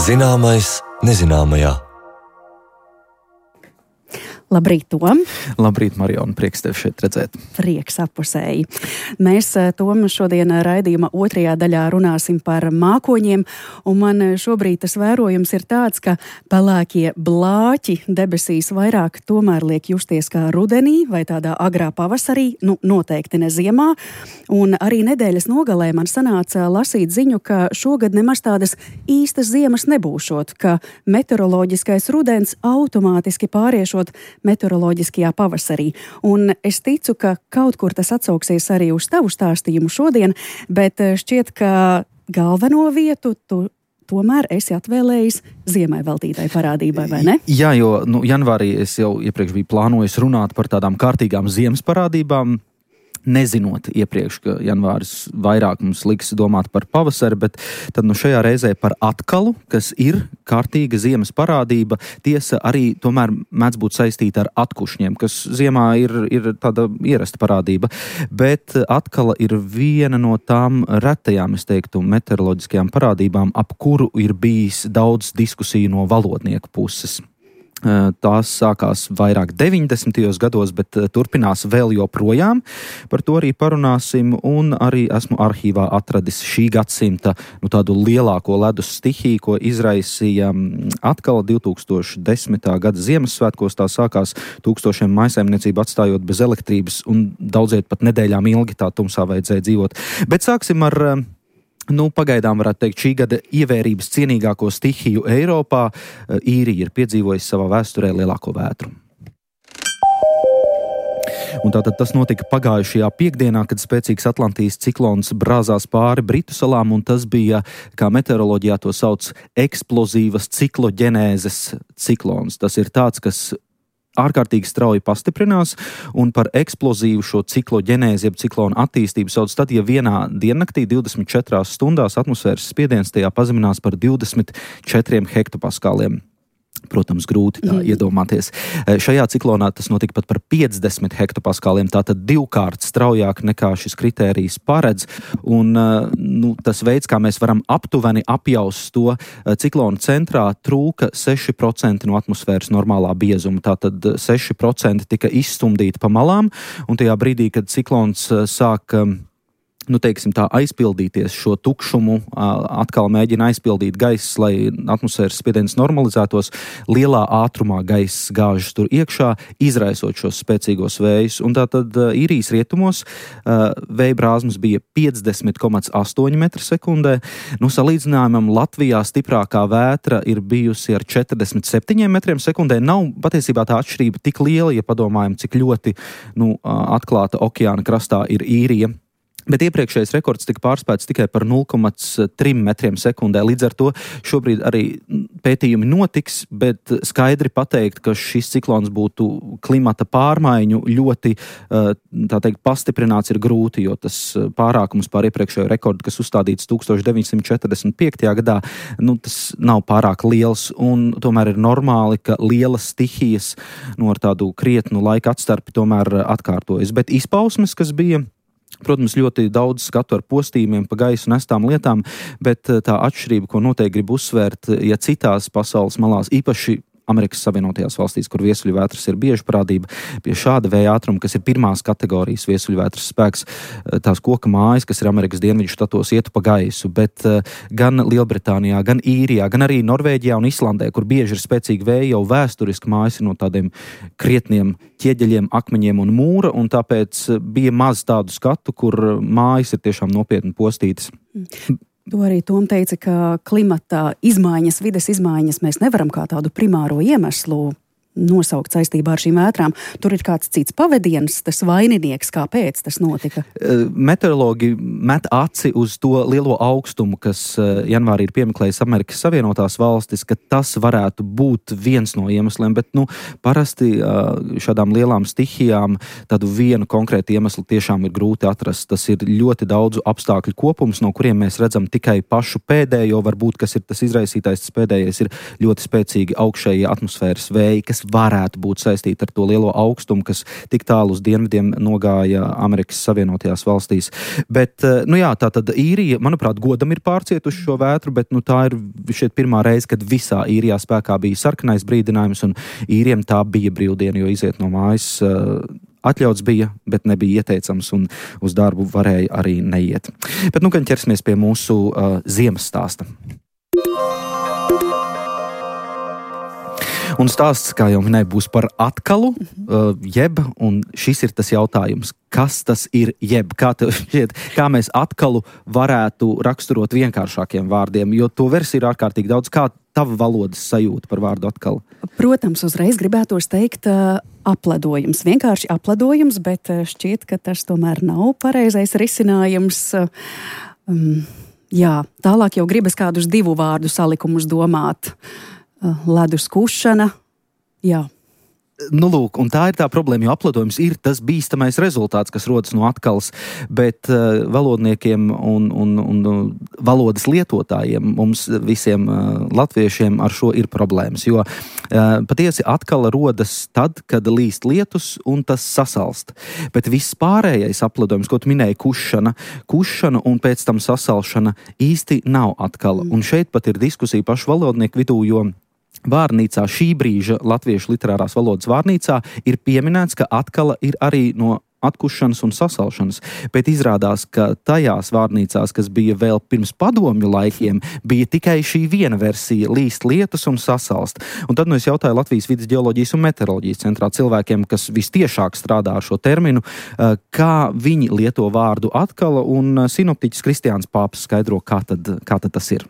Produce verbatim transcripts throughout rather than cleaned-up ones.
Zināmais nezināmajā. Labrīt, Tom! Labrīt, Mariona, prieks tevi šeit redzēt. Prieks apusēji. Mēs, Tom, šodien raidījuma otrajā daļā runāsim par mākoņiem, un man šobrīd tas vērojums ir tāds, ka pelēkie blāķi debesīs vairāk tomēr liek justies kā rudenī vai tādā agrā pavasarī, nu noteikti ne ziemā, un arī nedēļas nogalē man sanāca lasīt ziņu, ka šogad nemaz tādas īstas ziemas nebūšot, ka meteoroloģiskais rudens automātiski pāriešot meteoroloģiskajā pavasarī. Un es ticu, ka kaut kur tas atsauksies arī uz tavu stāstījumu šodien, bet šķiet, ka galveno vietu tu tomēr esi atvēlējis ziemai veltītai parādībai, vai ne? Jā, jo nu, janvārī es jau iepriekš biju plānojis runāt par tādām kārtīgām ziemas parādībām, nezinot iepriekš, ka janvāris vairāk mums liks domāt par pavasari, bet tad nu šajā reizē par atkalu, kas ir kārtīga ziemas parādība, tiesa arī tomēr mēdz būt saistīta ar atkušņiem, kas ziemā ir, ir tāda ierasta parādība, bet atkala ir viena no tām retajām, es teiktu, meteoroloģiskajām parādībām, ap kuru ir bijis daudz diskusiju no valodnieku puses. Tās sākās vairāk deviņdesmitajos gados, bet turpinās vēl joprojām. Par to arī parunāsim, un arī esmu arhīvā atradis šī gadsimta nu, tādu lielāko ledus stihiju, ko izraisīja atkal divtūkstoš desmitā gada Ziemassvētkos. Tā sākās tūkstošiem mājsaimniecību atstājot bez elektrības, un daudziet pat nedēļām ilgi tā tumsā vajadzēja dzīvot. Bet sāksim ar Nu, pagaidām varētu teikt šī gada ievērības cienīgāko stihiju Eiropā. Īrija ir piedzīvojusi savā vēsturē lielāko vētru. Un tātad tas notika pagājušajā piekdienā, kad spēcīgs Atlantijas ciklons brāzās pāri Britu salām, un tas bija, kā meteoroloģijā to sauc, eksplozīvas cikloģenēzes ciklons. Tas ir tāds, kas ārkārtīgi strauji pastiprinās, un par eksplozīvu šo cikloģenēzi, jeb ciklonu attīstību sauc tad, ja vienā diennaktī divdesmit četrās stundās atmosfēras spiediens tajā pazeminās par divdesmit četriem hektopaskāliem. Protams, grūti tā mm. iedomāties. Šajā ciklonā tas notika pat par piecdesmit hektopaskāliem, tātad divkārt straujāk nekā šis kritērijs paredz, un nu, tas veids, kā mēs varam aptuveni apjaust to ciklonu centrā, trūka seši procenti no atmosfēras normālā biezuma, tātad seši procenti tika izstumdīti pa malām, un tajā brīdī, kad ciklons sāk nu, teiksim tā, aizpildīties šo tukšumu, atkal mēģina aizpildīt gaiss, lai atmosfēras spiediens normalizētos, lielā ātrumā gaiss gāžas tur iekšā, izraisot šos spēcīgos vējus. Un tātad Īrijas rietumos vēja brāzmas bija piecdesmit komats astoņi metri sekundē. Nu, salīdzinājumam Latvijā stiprākā vētra ir bijusi ar četrdesmit septiņiem metriem sekundē. Nav patiesībā tā atšķirība tik liela, ja padomājam, cik ļoti nu, atklāta okeāna krastā ir Īrija. Bet iepriekšējais rekords tika pārspēts tikai par nulle komats trīs metriem sekundē. Līdz ar to šobrīd arī pētījumi notiks, bet skaidri pateikt, ka šis ciklons būtu klimata pārmaiņu ļoti, tā teikt, pastiprināts ir grūti, jo tas pārākums pār iepriekšējo rekordu, kas uzstādīts tūkstoš deviņsimt četrdesmit piektajā gadā, nu, tas nav pārāk liels, un tomēr ir normāli, ka lielas stihijas nu, ar tādu krietnu laika atstarpi tomēr atkārtojas. Bet izpausmes, kas bija, protams, ļoti daudz skatu ar postījumiem pa gaisu nestām lietām, bet tā atšķirība, ko noteikti grib uzsvērt, ja citās pasaules malās, īpaši Amerikas Savienotajās valstīs, kur viesuļvētras ir bieži parādība, pie šāda vēja ātruma, kas ir pirmās kategorijas viesuļvētras spēks, tās koka mājas, kas ir Amerikas dienvidu štatos, ietu pa gaisu, bet gan Lielbritānijā, gan Īrijā, gan arī Norvēģijā un Islandē, kur bieži ir spēcīgi vēja, jau vēsturiski mājas ir no tādiem krietniem ķieģeļiem, akmeņiem un mūra, un tāpēc bija maz tādu skatu, kur mājas ir tiešām nopietni postītas. To arī Tom teica, ka klimata izmaiņas, vides izmaiņas mēs nevaram kā tādu primāro iemeslu nosaukt saistībā ar šīm vētrām. Tur ir kāds cits pavadiens, tas vaininieks, kāpēc tas notika? Meteorologi met aci uz to lielo augstumu, kas janvārī ir piemeklējis Amerikas Savienotās valstis, ka tas varētu būt viens no iemesliem, bet nu, parasti šādām lielām stihijām tādu vienu konkrētu iemeslu tiešām ir grūti atrast. Tas ir ļoti daudzu apstākļu kopums, no kuriem mēs redzam tikai pašu pēdējo, varbūt, kas ir tas izraisītājs, tas pēdējais ir ļoti spēcīgi augšējie atmosfēras vēji, kas kas varētu būt saistīti ar to lielo augstumu, kas tik tālu uz dienvidiem nogāja Amerikas Savienotajās valstīs. Bet, nu jā, tā tad īrija, manuprāt, godam ir pārcietuši šo vētru, bet nu, tā ir šeit pirmā reize, kad visā īrijā spēkā bija sarkanais brīdinājums, un īriem tā bija brīvdiena, jo iziet no mājas atļauts bija, bet nebija ieteicams, un uz darbu varēja arī neiet. Bet nu, gan ķersimies pie mūsu uh, ziemas stāsta. Un stāsts, kā jau minēju, būs par atkalu, uh, jeb, un šis ir tas jautājums, kas tas ir jeb, kā tev šķiet, kā mēs atkalu varētu raksturot vienkāršākiem vārdiem, jo to versiju ir ārkārtīgi daudz. Kā tava valodas sajūta par vārdu atkalu? Protams, uzreiz gribētos teikt uh, apledojums, vienkārši apledojums, bet uh, šķiet, ka tas tomēr nav pareizais risinājums. Uh, um, jā, tālāk jau gribas kādus divu vārdu salikumus domāt. Uh, ledus kušana, jā. Nu, lūk, un tā ir tā problēma, jo apledojums ir tas bīstamais rezultāts, kas rodas no atkalas, bet uh, valodniekiem un, un, un valodas lietotājiem, mums visiem uh, latviešiem ar šo ir problēmas, jo uh, patiesi atkala rodas tad, kad līst lietus un tas sasalst, bet viss pārējais apledojums, ko tu minēji, kušana, kušana un pēc tam sasalšana īsti nav atkala, un šeit pat ir diskusija pašu valodnieku vidū, jo vārnīcā, šī brīža latviešu literārās valodas vārnīcā ir pieminēts, ka atkala ir arī no atkušanas un sasalšanas, bet izrādās, ka tajās vārnīcās, kas bija vēl pirms padomju laikiem, bija tikai šī viena versija – līst lietus un sasalst. Un tad nu es jautāju Latvijas vides ģeoloģijas un meteoroloģijas centrā cilvēkiem, kas vistiešāk strādā ar šo terminu, kā viņi lieto vārdu atkala, un sinoptiķis Kristiāns Pāps skaidro, kā tad, kā tad tas ir.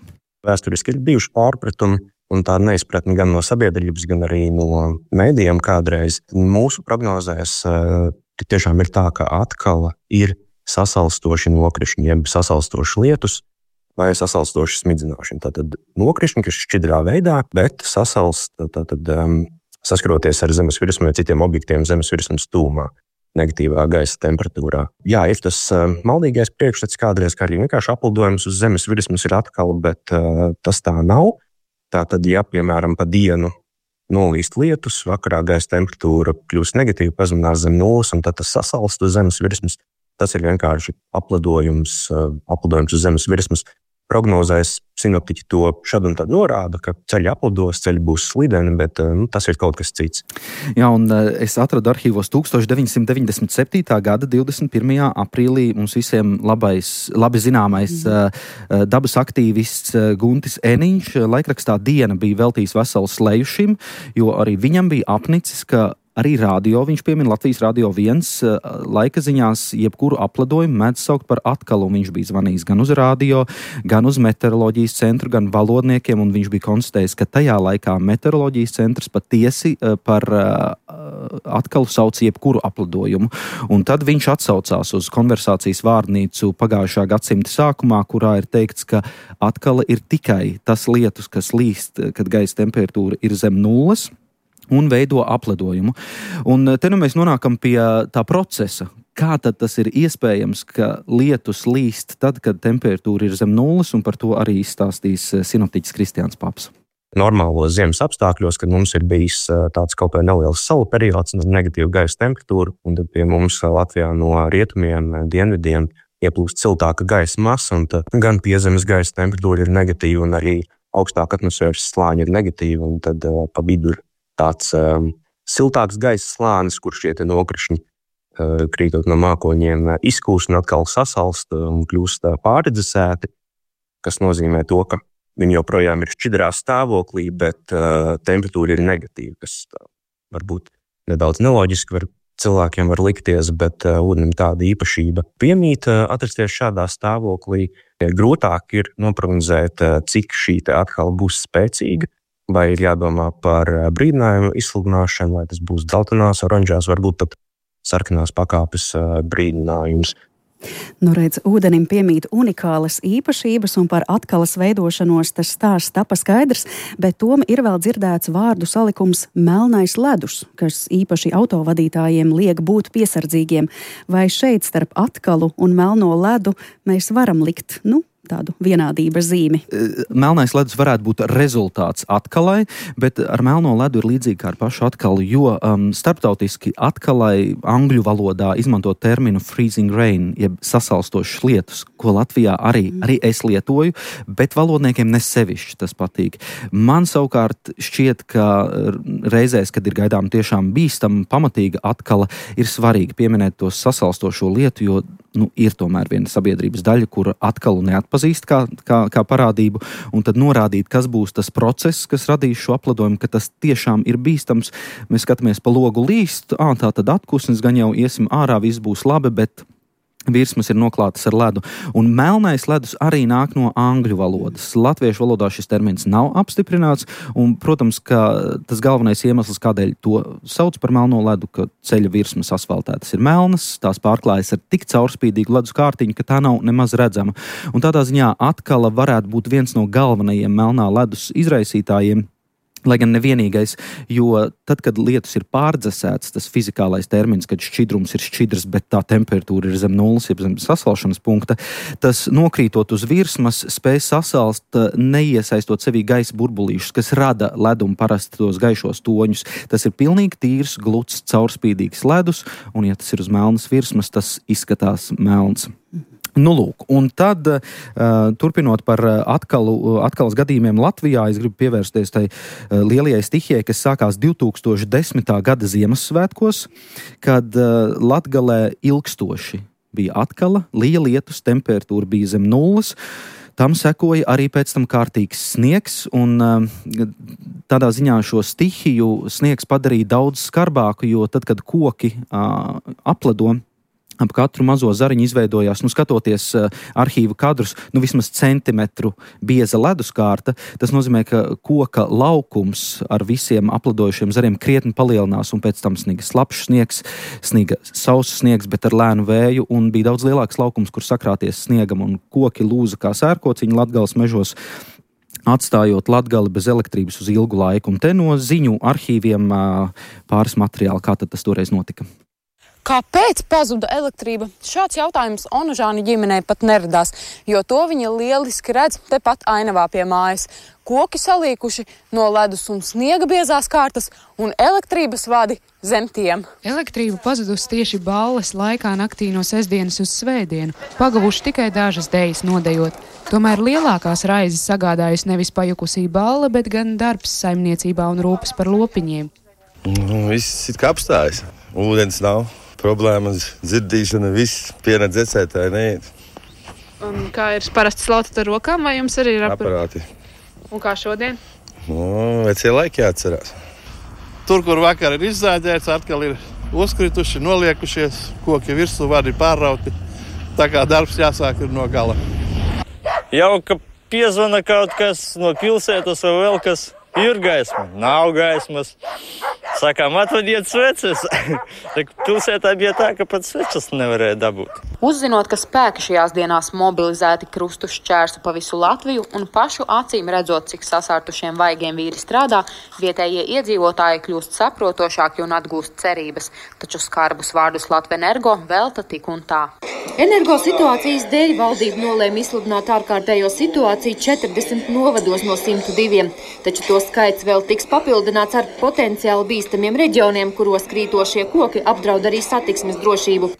Vēsturiski ir bijuši pārpratumi, un tā neizpratni gan no sabiedrības, gan arī no mēdījiem kādreiz. Mūsu prognozēs tiešām ir tā, ka atkala ir sasalstoši nokrišņi, jeb sasalstoši lietus vai sasalstoši smidzināšana. Tātad nokrišņi, kas šķidrā veidā, bet sasalst, tātad um, saskaroties ar zemes virsmu vai citiem objektiem zemes virsmas tūmā, negatīvā gaisa temperatūrā. Jā, ir tas uh, maldīgais priekšstats kādreiz, kā arī vienkārši aplidojums uz zemes virsmas ir atkala, bet uh, tas tā nav. Tātad, ja, piemēram, pa dienu nolīst lietus, vakarā gaisa temperatūra kļūst negatīva, pazeminās zem nulles, un tad tas sasalst uz zemes virsmas. Tas ir vienkārši aplidojums, aplidojums uz zemes virsmas. Prognozēs sinoptiķi to šad un tad norāda, ka ceļi aplidos, ceļi būs slideni, bet nu, tas ir kaut kas cits. Jā, un es atradu arhīvos tūkstoš deviņsimt deviņdesmit septītā gada divdesmit pirmajā aprīlī mums visiem labais, labi zināmais mm. dabas aktīvists Guntis Eniņš laikrakstā Diena bija veltījis veselu sleju šim, jo arī viņam bija apnicis, ka arī radio, viņš piemin Latvijas radio viens, laika ziņās jebkuru aplidojumu mēdz saukt par atkalu, un viņš bija zvanījis gan uz radio, gan uz meteoroloģijas centru, gan valodniekiem, un viņš bija konstatējis, ka tajā laikā meteoroloģijas centrs patiesi par atkalu sauc jebkuru aplidojumu. Un tad viņš atsaucās uz konversācijas vārnīcu pagājušā gadsimta sākumā, kurā ir teikts, ka atkala ir tikai tas lietus, kas līst, kad gaisa temperatūra ir zem nulles, un veido aplidojumu. Un te nu mēs nonākam pie tā procesa. Kā tad tas ir iespējams, ka lietus līst tad, kad temperatūra ir zem nulles, un par to arī izstāstīs sinoptiķis Kristiāns Pāps. Normālos ziemas apstākļos, kad mums ir bijis tāds kaut vai neliels salu periods un negatīva gaisa temperatūra, un tad pie mums Latvijā no rietumiem, dienvidiem ieplūst siltāka gaisa masa, un tad gan piezemes gaisa temperatūra ir negatīva, un arī augstāka atmosfēras slāņa ir negatīva, un tad uh, pa vidu ir tāds um, siltāks gaisa slānis, kur šie te nokrišņi uh, krītot no mākoņiem uh, izkūst un atkal sasalst uh, un kļūst uh, pārredzesēti, kas nozīmē to, ka viņi joprojām ir šķidrā stāvoklī, bet uh, temperatūra ir negatīva, kas uh, varbūt nedaudz neloģiski var, cilvēkiem var likties, bet uh, ūdenim tāda īpašība piemīt uh, atrasties šādā stāvoklī. Grūtāk ir noprognozēt, uh, cik šī te atkal būs spēcīga, vai ir jādomā par brīdinājumu izsludināšanu, vai tas būs dzeltenās, oranžās, varbūt pat sarkanās pakāpes brīdinājums. Nu redz, ūdenim piemīt unikālas īpašības, un par atkalas veidošanos tas stāsts tapa skaidrs, bet tom ir vēl dzirdēts vārdu salikums melnais ledus, kas īpaši autovadītājiem liek būt piesardzīgiem. Vai šeit starp atkalu un melno ledu mēs varam likt, nu, tādu vienādības zīmi. Melnais ledus varētu būt rezultāts atkalai, bet ar melno ledu ir līdzīgi kā ar pašu atkalu, jo um, starptautiski atkalai angļu valodā izmanto terminu freezing rain, jeb sasalstošas lietus, ko Latvijā arī, arī es lietoju, bet valodniekiem nesevišķi tas patīk. Man savukārt šķiet, ka reizēs, kad ir gaidām tiešām bīstama, pamatīga atkala, ir svarīgi pieminēt to sasalstošo lietu, jo nu, ir tomēr viena sabiedrības daļa, kur atkalu neatpazīst kā, kā, kā parādību, un tad norādīt, kas būs tas process, kas radīs šo apladojumu, ka tas tiešām ir bīstams. Mēs skatāmies pa logu līst, ā, tā tad atkusnis, gan jau iesim ārā, viss būs labi, bet virsmas ir noklātas ar ledu. Un melnais ledus arī nāk no angļu valodas. Latviešu valodā šis termins nav apstiprināts, un, protams, ka tas galvenais iemesls, kādēļ to sauc par melno ledu, ka ceļa virsmas asfaltētas ir melnas, tās pārklājas ar tik caurspīdīgu ledus kārtiņu, ka tā nav nemaz redzama. Un tādā ziņā atkala varētu būt viens no galvenajiem melnā ledus izraisītājiem, lai gan nevienīgais, jo tad, kad lietus ir pārdzesēts, tas fizikālais termins, kad šķidrums ir šķidrs, bet tā temperatūra ir zem nulles, jeb zem sasalšanas punkta, tas nokrītot uz virsmas, spēj sasalst, neiesaistot sevī gaisa burbulīšus, kas rada ledumu parasti tos gaišos toņus. Tas ir pilnīgi tīrs, gluds, caurspīdīgs ledus, un ja tas ir uz melnas virsmas, tas izskatās melns. Nu, lūk, un tad, uh, turpinot par atkalu, atkalas gadījumiem Latvijā, es gribu pievērsties tai uh, lielajai stihijai, kas sākās divi tūkstoši desmitā gada Ziemassvētkos, kad uh, Latgalē ilgstoši bija atkala, lija lietus, temperatūra bija zem nulles. Tam sekoja arī pēc tam kārtīgs sniegs, un uh, tādā ziņā šo stihiju sniegs padarīja daudz skarbāku, jo tad, kad koki uh, apledo, ap katru mazo zariņu izveidojās, nu skatoties uh, arhīvu kadrus, nu vismaz centimetru bieza leduskārta. Tas nozīmē, ka koka laukums ar visiem apladojušiem zariem krietni palielinās, un pēc tam sniga slapšs sniegs, sniga sauss sniegs, bet ar lēnu vēju, un bija daudz lielāks laukums, kur sakrāties sniegam, un koki lūza kā sērkociņi Latgales mežos, atstājot Latgali bez elektrības uz ilgu laiku. Un te no ziņu arhīviem uh, pāris materiāli, kā tad tas toreiz notika. Kāpēc pazuda elektrība? Šāds jautājums Onužāni ģimenei pat neradās, jo to viņa lieliski redz tepat ainavā pie mājas. Koki salīkuši no ledus un sniega biezās kārtas un elektrības vadi zem tiem. Elektrība pazudusi tieši balles laikā naktī no sestdienas uz svētdienu, pagavuši tikai dažas dejas nodejot. Tomēr lielākās raizes sagādājusi nevis pajukusī balle, bet gan darbs saimniecībā un rūpes par lopiņiem. Nu, viss ir kā apstājas. Ūdens nav. Problēmas, dzirdīšana, viss pienāc dzecētāji neiet. Un kā ir parasti slaucat ar rokām, vai jums arī ir aparāti? Un kā šodien? Nu, vecie laiki jāatcerās. Tur, kur vakar ir izzāģēts, atkal ir uzkrituši, noliekušies, koki virsū vadi pārrauti. Tā kā darbs jāsāk ir no gala. Jau, ka piezvana kaut kas no pilsētas vai vēl kas, ir gaisma, nav gaismas. Sakām, atvadiet sveces. Pilsētā bija tā, ka pat svečas nevarēja dabūt. Uzzinot, ka spēki šajās dienās mobilizēti krustu šķērsu pa visu Latviju un pašu acīm redzot, cik sasārtušiem vaigiem vīri strādā, vietējie iedzīvotāji kļūst saprotošāki un atgūst cerības. Taču skarbus vārdus Latvenergo velta tik un tā. Energo situācijas dēļ valdība nolēma izsludināt ārkārtējo situāciju četrdesmit novados no simta diviem, taču to skaits vēl tiks papildināts ar potenciāli bīstamiem reģioniem, kuros krītošie koki apdraud arī satiksmes drošību.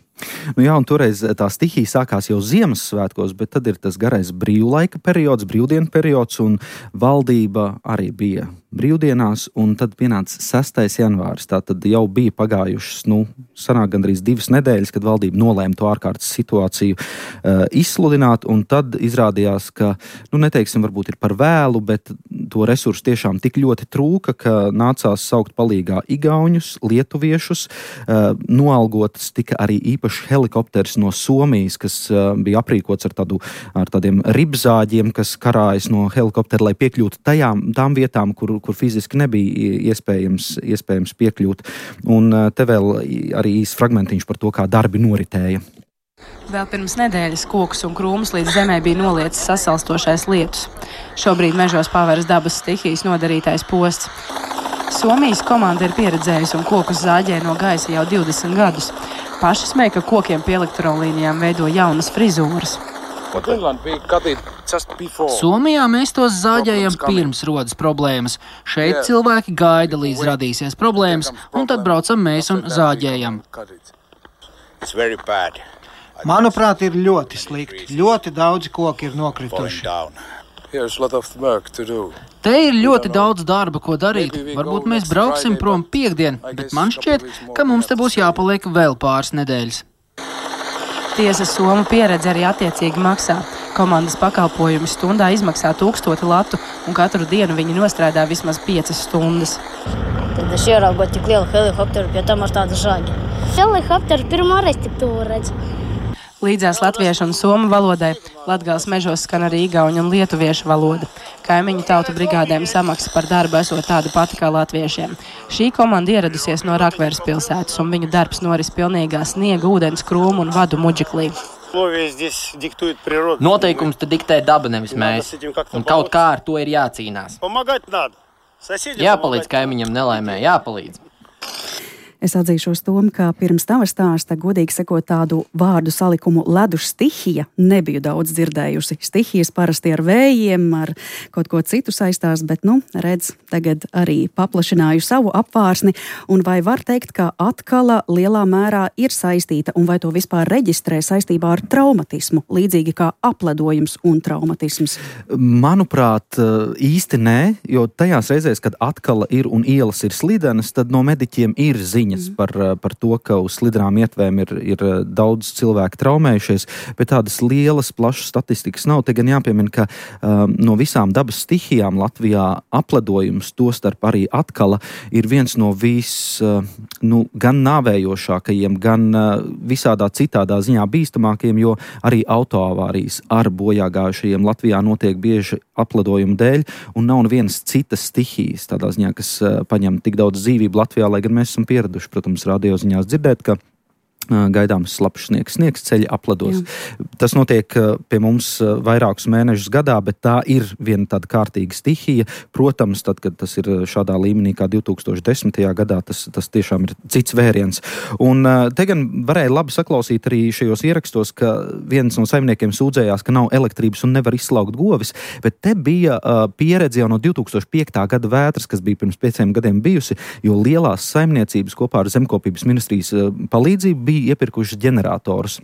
Nu jā, un toreiz tā stihija sākās jau Ziemassvētkos, bet tad ir tas garais brīvlaika periods, brīvdienu periods, un valdība arī bija brīvdienās, un tad pienāca sestais janvāris. Tā tad jau bija pagājušas, nu, sanāk gandrīz divas nedēļas, kad valdība nolēma to ārkārtas situāciju uh, izsludināt, un tad izrādījās, ka, nu, neteiksim, varbūt ir par vēlu, bet to resursu tiešām tik ļoti trūka, ka nācās saukt palīgā igauņus, lietuviešus, uh, noalgotas tika arī īpaši helikopters no Somijas, kas uh, bija aprīkots ar, tādu, ar tādiem ribzāģiem, kas karājas no helikoptera, lai piekļūtu tajām, tām vietām, kur, kur fiziski nebija iespējams, iespējams piekļūt. Un uh, te vēl arī īs fragmentiņš par to, kā darbi noritēja. Vēl pirms nedēļas kokus un krūmus līdz zemē bija noliecis sasalstošais lietus. Šobrīd mežos paveras dabas stihijas nodarītais posts. Somijas komanda ir pieredzējusi un kokus zāģē no gaisa jau divdesmit gadus. Paši smēja, ka kokiem pie elektrolīnijām veido jaunas frizūras. Somijā mēs tos zāģējam pirms rodas problēmas. Šeit cilvēki gaida, līdz radīsies problēmas, un tad braucam mēs un zāģējam. Manuprāt, ir ļoti slikti. Ļoti daudzi koki ir nokrituši. Te ir ļoti daudz darba, ko darīt. Varbūt mēs brauksim prom piekdien, bet man šķiet, ka mums te būs jāpaliek vēl pāris nedēļas. Tiesa Somu pieredze arī attiecīgi maksā. Komandas pakalpojumi stundā izmaksā tūkstoti latu, un katru dienu viņi nostrādā vismaz piecas stundas. Tad es ieraugot tik lielu helikopteru, pie tam ar tādu žāģi. Helikopteru pirmo reizi tik tuvu redzu. Līdzās latviešu un somu valodai Latgales mežos skan arī igauņu un lietuviešu valoda. Kaimiņu tautu brigādēm samaksa par darbu esot tāda pati kā latviešiem. Šī komanda ieradusies no Rakveres pilsētas, un viņu darbs noris pilnīgā sniega, ūdens, krūmu un vadu muģiklī. Noteikums te diktē daba, nevis mēs. Un kaut kā ar to ir jācīnās. Jāpalīdz kaimiņam nelaimē, jāpalīdz. Es atzīšos Tom, ka pirms tava stāsta, godīgi sakot, tādu vārdu salikumu ledus stihija nebiju daudz dzirdējusi. Stihijas parasti ar vējiem, ar kaut ko citu saistās, bet, nu, redz, tagad arī paplašināju savu apvārsni. Un vai var teikt, ka atkala lielā mērā ir saistīta, un vai to vispār reģistrē saistībā ar traumatismu, līdzīgi kā apledojums un traumatisms? Manuprāt, īsti nē, jo tajās reizēs, kad atkala ir un ielas ir slidenas, tad no mediķiem ir ziņa. Par, par to, ka uz slidrām ietvēm ir, ir daudz cilvēku traumējušies, bet tādas lielas, plašas statistikas nav. Te gan jāpiemina, ka um, no visām dabas stihijām Latvijā apledojums, tostarp arī atkala, ir viens no vis, uh, nu, gan nāvējošākajiem, gan uh, visādā citādā ziņā bīstamākajiem, jo arī autoavārijas ar bojāgājušajiem Latvijā notiek bieži apledojumu dēļ, un nav nevienas citas stihijas tādā ziņā, kas uh, paņem tik daudz dzīvību Latvijā, lai gan mēs esam pieraduši. Protams, radioziņās dzirdēt, ka gaidāms slapjš sniegs, sniegs ceļi apledos. Jā. Tas notiek pie mums vairākus mēnešus gadā, bet tā ir viena tāda kārtīga stihija. Protams, tad, kad tas ir šādā līmenī kā divi tūkstoši desmitajā gadā, tas, tas tiešām ir cits vēriens. Un te gan varēja labi saklausīt arī šajos ierakstos, ka viens no saimniekiem sūdzējās, ka nav elektrības un nevar izslaukt govis, bet te bija uh, pieredze jau no divi tūkstoši piektā gada vētras, kas bija pirms pieciem gadiem bijusi, jo lielās saimniecības kopā ar Zemkopības ministrijas uh, palīdzību bija iepirkuši ģeneratorus.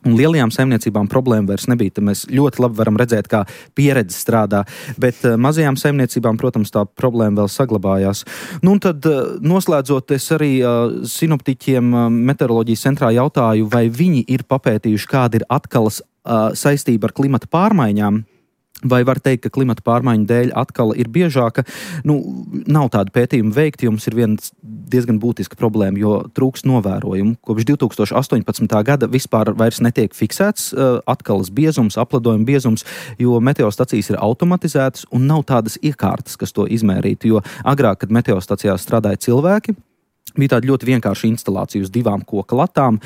Un lielajām saimniecībām problēma vairs nebija. Te mēs ļoti labi varam redzēt, kā pieredze strādā, bet uh, mazajām saimniecībām, protams, tā problēma vēl saglabājās. Nu, un tad, uh, noslēdzot, es arī uh, sinoptiķiem uh, meteoroloģijas centrā jautāju, vai viņi ir papētījuši, kāda ir atkalas uh, saistība ar klimata pārmaiņām. Vai var teikt, ka klimata pārmaiņu dēļ atkal ir biežāka? Nu, nav tāda pētījuma veikti, jo mums ir viena diezgan būtiska problēma, jo trūks novērojumu. Kopš divi tūkstoši astoņpadsmitā gada vispār vairs netiek fiksēts uh, atkalas biezums, apledojuma biezums, jo meteostacijas ir automatizētas un nav tādas iekārtas, kas to izmērītu, jo agrāk, kad meteostacijās strādāja cilvēki, bija tāda ļoti vienkārša instalācija uz divām koka latām,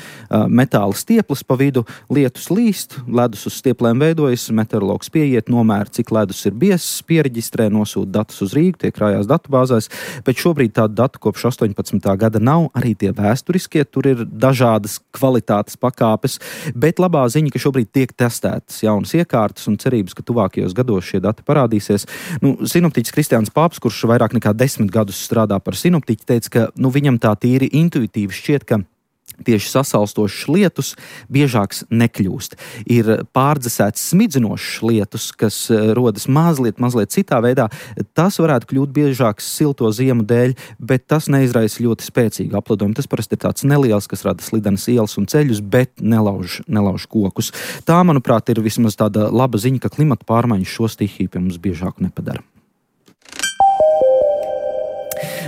metāla stieples pa vidu, lietus līst, ledus uz stieplēm veidojas, meteorologs pieiet, nomēra, cik ledus ir biezs, piereģistrē, nosūta datus uz Rīgu, tie krājās datubāzēs, bet šobrīd tādu datu kopš astoņpadsmitā gada nav, arī tie vēsturiskie, tur ir dažādas kvalitātes pakāpes, bet labā ziņa, ka šobrīd tiek testētas jaunas iekārtas un cerības, ka tuvākajos gados šie dati parādīsies. Nu, sinoptiķis Kristiāns Pāps, kurš vairāk nekā desmit gadus strādā par sinoptiķi, teica, ka nu, viņam tā tīri intuitīvi šķiet, ka tieši sasalstošs lietus biežāks nekļūst. Ir pārdzesēts smidzinošs lietus, kas rodas mazliet, mazliet citā veidā. Tas varētu kļūt biežāks silto ziemu dēļ, bet tas neizraisa ļoti spēcīgu apledojumu. Tas parasti ir tāds neliels, kas rada slidenas ielas un ceļus, bet nelauž, nelauž kokus. Tā, manuprāt, ir vismaz tāda laba ziņa, ka klimata pārmaiņas šo stihiju pie mums biežāku nepadara.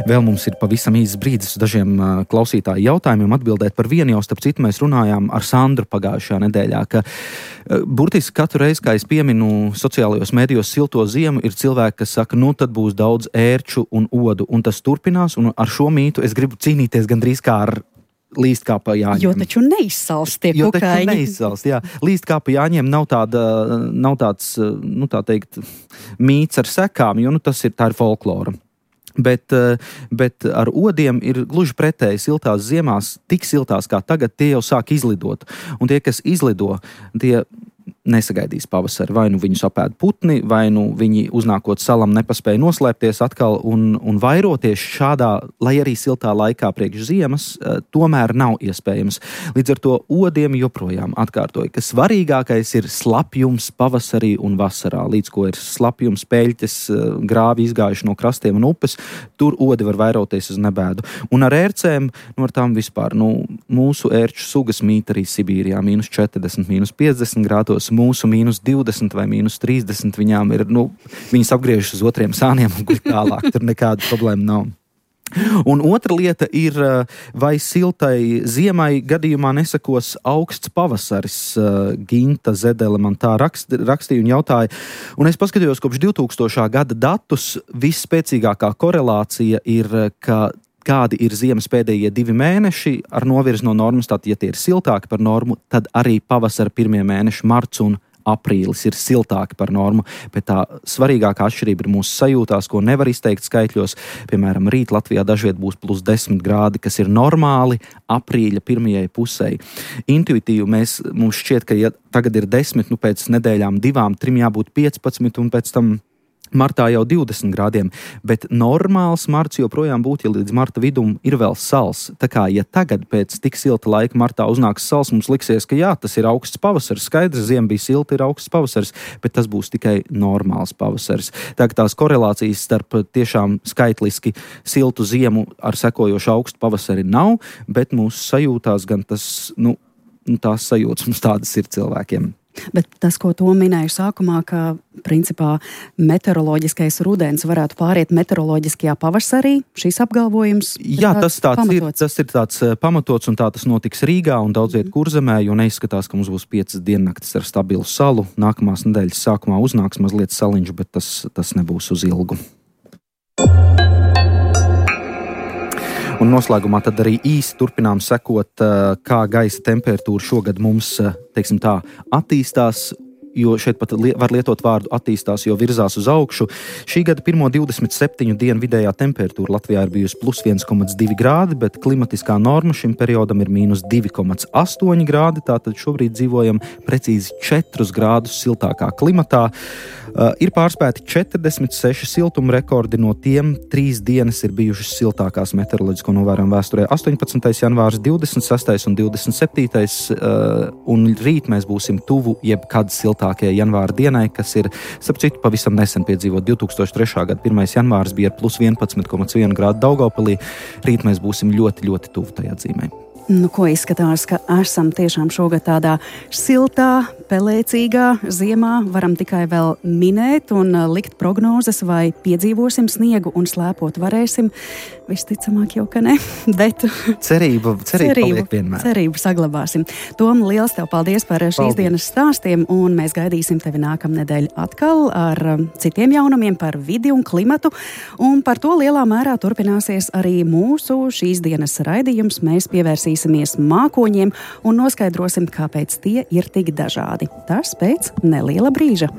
Vēl mums ir pavisam īsts brīdis uz dažiem uh, klausītāju jautājumiem atbildēt. Par vienu jau, starp citu, mēs runājām ar Sandru pagājušajā nedēļā, ka uh, burtiski katru reizi, kā es pieminu sociālajos mēdījos silto ziemu, ir cilvēki, kas saka, nu tad būs daudz ērču un odu, un tas turpinās, un ar šo mītu es gribu cīnīties gandrīz kā ar līst kā pa jāņem. Jo taču neizsalst tie jo kukaiņi. Jo taču neizsalst, jā. Līst kā pa jāņem nav, tāda, nav tāds, nu tā teikt, mīts ar sekām, jo nu, tas ir, tā ir folklora. Bet, bet ar odiem ir gluži pretēji siltās ziemās, tik siltās kā tagad, tie jau sāk izlidot. Un tie, kas izlido, tie nesagaidīs pavasari. Vai nu viņus apēd putni, vai nu viņi uznākot salam nepaspēja noslēpties atkal un, un vairoties šādā, lai arī siltā laikā priekš ziemas, tomēr nav iespējams. Līdz ar to odiem joprojām atkārtoja, ka svarīgākais ir slapjums pavasarī un vasarā. Līdz ko ir slapjums, peļķes, grāvi izgājuši no krastiem un upes, tur odi var vairoties uz nebēdu. Un ar ērcēm, nu ar tām vispār, nu, mūsu ērču sugas mīt arī Sibīrijā, mīnus četrdesmit, mīnus piecdesmit grādos, mūsu mīnus divdesmit vai mīnus trīsdesmit, viņām ir, nu, viņas apgriežas uz otriem sāniem un guļ tālāk, tur nekāda problēma nav. Un otra lieta ir, vai siltai ziemai gadījumā nesakos augsts pavasaris. Ginta Zedele man tā rakst, rakstīja un jautāja. Un es paskatījos kopš divtūkstošā gada datus, visspēcīgākā korelācija ir, ka kādi ir ziemas pēdējie divi mēneši ar novirzi no normas, tātad, ja tie ir siltāki par normu, tad arī pavasara pirmie mēneši, marts un aprīlis, ir siltāki par normu, bet tā svarīgākā atšķirība ir mūsu sajūtās, ko nevar izteikt skaitļos. Piemēram, rīt Latvijā dažviet būs plus desmit grādi, kas ir normāli aprīļa pirmajai pusei. Intuitīvi mēs, mums šķiet, ka ja tagad ir desmit, nu pēc nedēļām divām, trim jābūt piecpadsmit un pēc tam martā jau divdesmit grādiem, bet normāls marts joprojām būtu, ja līdz marta vidum ir vēl sals. Tā kā, ja tagad pēc tik silta laika martā uznāks sals, mums liksies, ka jā, tas ir augsts pavasaris, skaidrs, ziema bija silta, ir augsts pavasaris, bet tas būs tikai normāls pavasaris. Tā kā tās korelācijas starp tiešām skaitliski siltu ziemu ar sekojošu augstu pavasari nav, bet mūsu sajūtās gan tas, nu, tās sajūtas mums tādas ir cilvēkiem. Bet tas, ko to minēju sākumā, ka principā meteoroloģiskais rudens varētu pāriet meteoroloģiskajā pavasarī, šīs apgalvojums ir Jā, tas tāds pamatots. ir, tas ir tāds pamatots un tā tas notiks Rīgā un daudziet Kurzemē, jo neizskatās, ka mums būs piecas diennaktis ar stabilu salu. Nākamās nedēļas sākumā uznāks mazliet saliņš, bet tas, tas nebūs uz ilgu. Un noslēgumā tad arī īsi turpinām sekot, kā gaisa temperatūra šogad mums, teiksim tā, attīstās, jo šeit pat var lietot vārdu attīstās, jo virzās uz augšu. Šī gada pirmo divdesmit septiņu dienu vidējā temperatūra Latvijā ir bijusi plus viens komats divi grādi, bet klimatiskā norma šim periodam ir mīnus divi komats astoņi grādi, tātad šobrīd dzīvojam precīzi četrus grādus siltākā klimatā. Uh, ir pārspēti četrdesmit seši siltuma rekordi, no tiem trīs dienas ir bijušas siltākās meteoroloģisko novērojumu vēsturē. astoņpadsmitais janvārs, divdesmit sestais un divdesmit septītais Uh, un rīt mēs būsim tuvu jebkad siltākajai janvāra dienai, kas ir, starp citu, pavisam nesen piedzīvot. divtūkstoš trešā gada pirmais janvārs bija ar plus vienpadsmit komats viens grādu Daugavpilī. Rīt mēs būsim ļoti, ļoti tuvu tajā dzīmē. Nu, ko izskatās, ka esam tiešām šogad tādā siltā, pelēcīgā ziemā. Varam tikai vēl minēt un likt prognozes, vai piedzīvosim sniegu un slēpot varēsim. Visticamāk jau, ka ne, bet cerība, cerība, cerību, paliek vienmēr. Cerību saglabāsim. Tom, liels tev paldies par šīs paldies. dienas stāstiem, un mēs gaidīsim tevi nākamnedēļ atkal ar citiem jaunumiem par vidi un klimatu, un par to lielā mērā turpināsies arī mūsu šīs dienas raidījums. Mēs pievērsīsimies mākoņiem un noskaidrosim, kāpēc tie ir tik dažādi. Tas pēc neliela brīža.